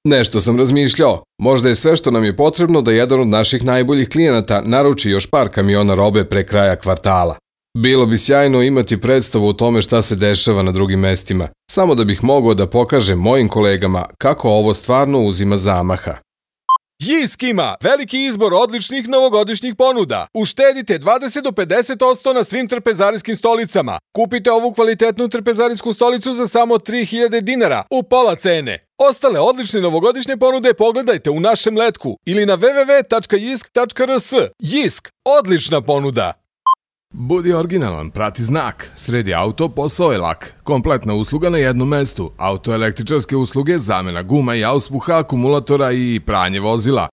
Nešto sam razmišljao. Možda je sve što nam je potrebno da jedan od naših najboljih klijenata naruči još par kamiona robe pre kraja kvartala. Bilo bi sjajno imati predstavu o tome šta se dešava na drugim mestima, samo da bih mogao da pokažem mojim kolegama kako ovo stvarno uzima zamaha. Jisk ima veliki izbor odličnih novogodišnjih ponuda. Uštedite 20 do 50% na svim trpezarijskim stolicama. Kupite ovu kvalitetnu trpezarijsku stolicu za samo 3000 dinara u pola cene. Ostale odlične novogodišnje ponude pogledajte u našem letku ili na www.jisk.rs. Jisk, odlična ponuda! Budi originalan, prati znak. Sredi auto, posao je lak. Kompletna usluga na jednom mestu. Autoelektričarske usluge, zamena guma i auspuha, akumulatora i pranje vozila.